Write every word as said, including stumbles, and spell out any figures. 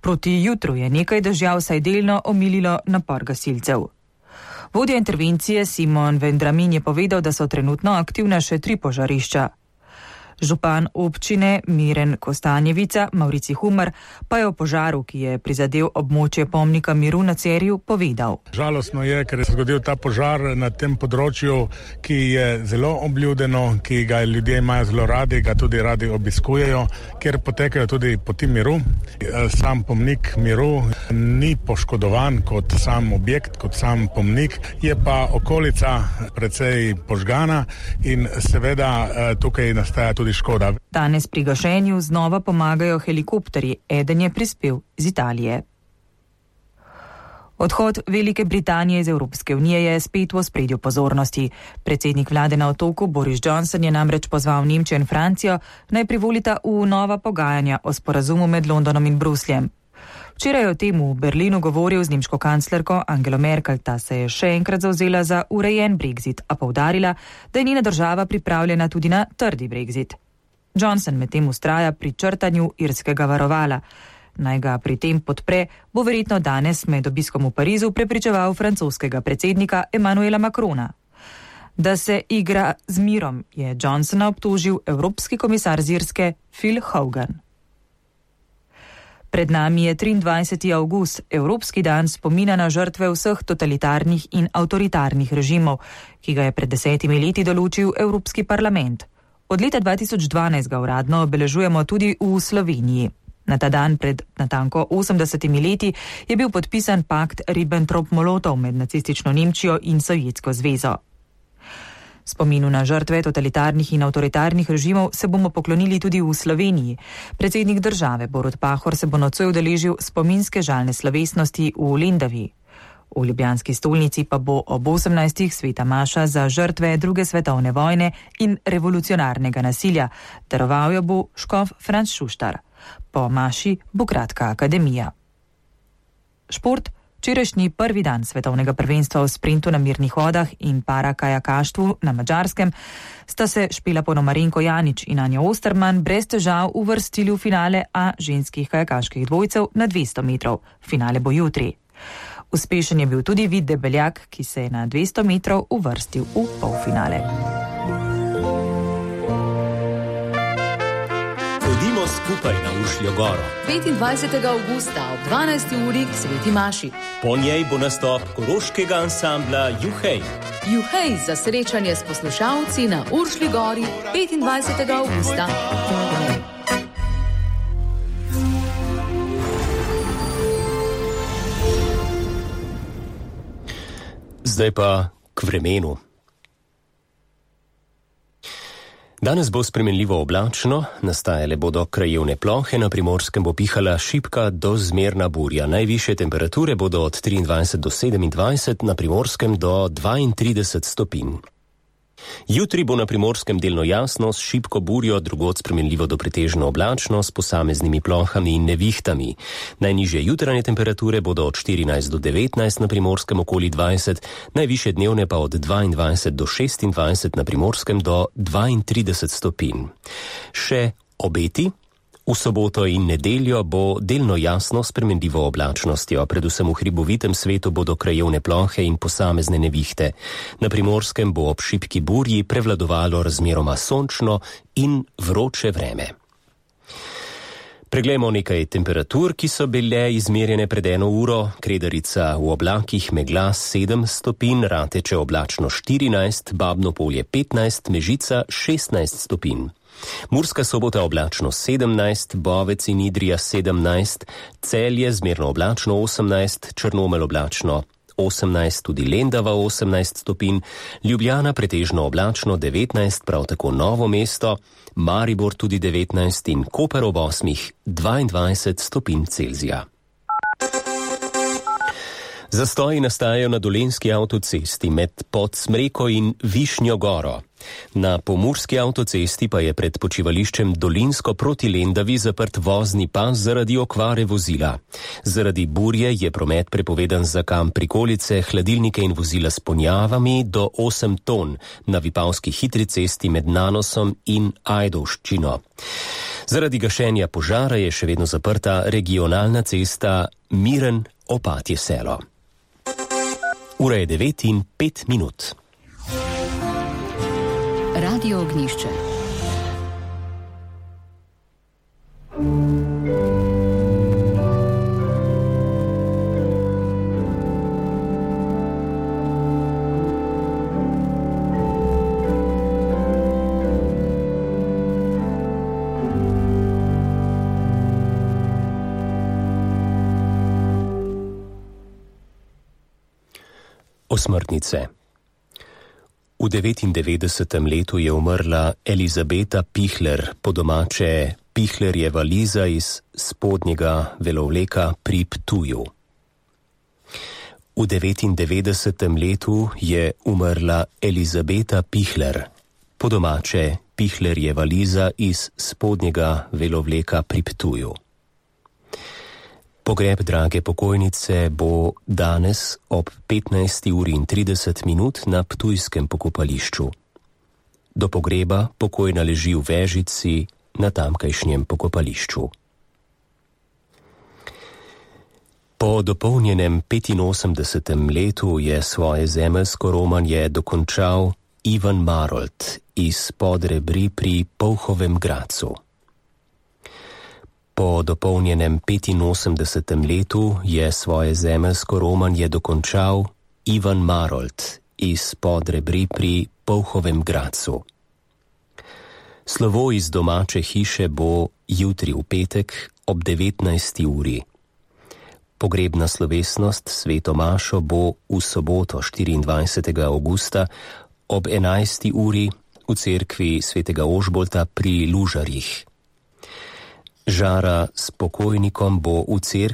Proti jutru je nekaj dežja vsaj delno omililo napor gasilcev. Vodja intervencije Simon Vendramin je povedal, da so trenutno aktivna še tri požarišča. Župan občine Miren Kostanjevica, Maurici Humar, pa je o požaru, ki je prizadel območje pomnika miru na Cerju, povedal. Žalostno je, ker je se zgodil ta požar na tem področju, ki je zelo obljudeno, ki ga ljudje imajo zelo radi, ga tudi radi obiskujejo, ker potekajo tudi poti miru. Sam pomnik miru ni poškodovan kot sam objekt, kot sam pomnik, je pa okolica precej požgana in seveda tukaj nastaja tudi škoda. Danes pri gašenju znova pomagajo helikopterji, eden je prispel iz Italije. Odhod Velike Britanije iz Evropske unije je spet v ospredju pozornosti. Predsednik vlade na otoku Boris Johnson je namreč pozval Nemčijo in Francijo, naj privolita v nova pogajanja o sporazumu med Londonom in Brusljem. Včeraj je o tem v Berlinu govoril z nemško kanclerko Angelo Merkel, ta se je še enkrat zavzela za urejen Brexit, a poudarila, da je njena država pripravljena tudi na trdi Brexit. Johnson medtem vztraja pri črtanju irskega varovala. Naj ga pri tem podpre, bo verjetno danes med obiskom v Parizu prepričeval francoskega predsednika Emmanuela Macrona. Da se igra z mirom, je Johnsona obtožil evropski komisar z Irske Phil Hogan. Pred nami je triindvajseti avgust, Evropski dan spomina na žrtve vseh totalitarnih in avtoritarnih režimov, ki ga je pred desetimi leti določil Evropski parlament. Od leta dva tisoč dvanajst ga uradno obeležujemo tudi v Sloveniji. Na ta dan pred natanko osemdesetimi leti je bil podpisan pakt Ribbentrop-Molotov med nacistično Nemčijo in Sovjetsko zvezo. Spominu na žrtve totalitarnih in avtoritarnih režimov se bomo poklonili tudi v Sloveniji. Predsednik države Borut Pahor se bo nocoj udeležil spominske žalne slovesnosti v Lendavi. V ljubljanski stolnici pa bo ob osemnajstih sveta maša za žrtve druge svetovne vojne in revolucionarnega nasilja. Daroval jo bo škof Franc Šuštar. Po maši bo kratka akademija. Šport. Včerajšnji prvi dan svetovnega prvenstva v sprintu na mirnih vodah in parakajakaštvu na Madžarskem sta se Špela Ponomarenko Janić in Anja Osterman brez težav uvrstili v finale A ženskih kajakaških dvojcev na dvesto metrov. Finale bo jutri. Uspešen je bil tudi Vid Debeljak, ki se je na dvesto metrov uvrstil v polfinale. Hodimo skupaj na Ušljo goro. petindvajsetega avgusta ob dvanajsti uri k sveti maši. Po njej bo nastop koroškega ansambla Juhej. Juhej za srečanje s poslušalci na Uršlji gori petindvajsetega avgusta. Zdaj pa k vremenu. Danes bo spremenljivo oblačno, nastajale bodo krajevne plohe, na Primorskem bo pihala šibka do zmerna burja. Najvišje temperature bodo od triindvajset do sedemindvajset, na Primorskem do dvaintrideset stopinj. Jutri bo na Primorskem delno jasno, s šibko burjo, drugod spremenljivo do pretežno oblačno, s posameznimi plohami in nevihtami. Najnižje jutranje temperature bodo od štirinajst do devetnajst, na Primorskem okoli dvajset, najvišje dnevne pa od dvaindvajset do šestindvajset, na Primorskem do dvaintrideset stopinj. Še obeti. V soboto in nedeljo bo delno jasno s spremenljivo oblačnostjo, predvsem v hribovitem svetu bodo krajevne plohe in posamezne nevihte. Na Primorskem bo ob šibki burji prevladovalo razmeroma sončno in vroče vreme. Preglejmo nekaj temperatur, ki so bile izmerjene pred eno uro. Kredarica v oblakih megla sedem stopinj, Rateče oblačno štirinajst, Babno Polje petnajst, Mežica šestnajst stopinj. Murska Sobota oblačno sedemnajst, Bovec in Idrija sedemnajst, Celje zmerno oblačno osemnajst, Črnomelj oblačno osemnajst, tudi Lendava osemnajst stopinj, Ljubljana pretežno oblačno devetnajst, prav tako Novo mesto, Maribor tudi devetnajst in Koper ob osmih dvaindvajset stopinj Celzija. Zastoji nastajajo na Dolenjski avtocesti med Podsmreko in Višnjo Goro. Na Pomurski avtocesti pa je pred počivališčem Dolinsko proti Lendavi zaprt vozni pas zaradi okvare vozila. Zaradi burje je promet prepovedan za kamp prikolice, hladilnike in vozila s ponjavami do osem ton na Vipavski hitri cesti med Nanosom in Ajdovščino. Zaradi gašenja požara je še vedno zaprta regionalna cesta Miren-Opatje selo. Ura je devet in pet minut. Radio Ognjišče. Osmrtnice. V devetindevetdesetem letu je umrla Elizabeta Pihler, po domače Pihlerjeva Liza iz Spodnjega Velovleka pri Ptuju. V devetindevetdesetem letu je umrla Elizabeta Pihler, po domače Pihlerjeva Liza iz Spodnjega Velovleka pri Ptuju. Pogreb drage pokojnice bo danes ob petnajsti uri in trideset minut na ptujskem pokopališču. Do pogreba pokojna leži v Vežici na tamkajšnjem pokopališču. Po dopolnjenem petinosemdesetem letu je svoje zemeljsko romanje dokončal Ivan Marolt iz Podrebri pri Polhovem Gradcu. Po dopolnjenem petinosemdesetem letu je svoje zemeljsko romanje dokončal Ivan Marolt iz Podrebri pri Polhovem Gradcu. Slovo iz domače hiše bo jutri v petek ob devetnajsti uri. Pogrebna slovesnost sveto mašo bo v soboto štiriindvajsetega avgusta ob enajsti uri v cerkvi svetega Ožbolta pri Lužarjih. Žara s pokojnikom bo v cerkvi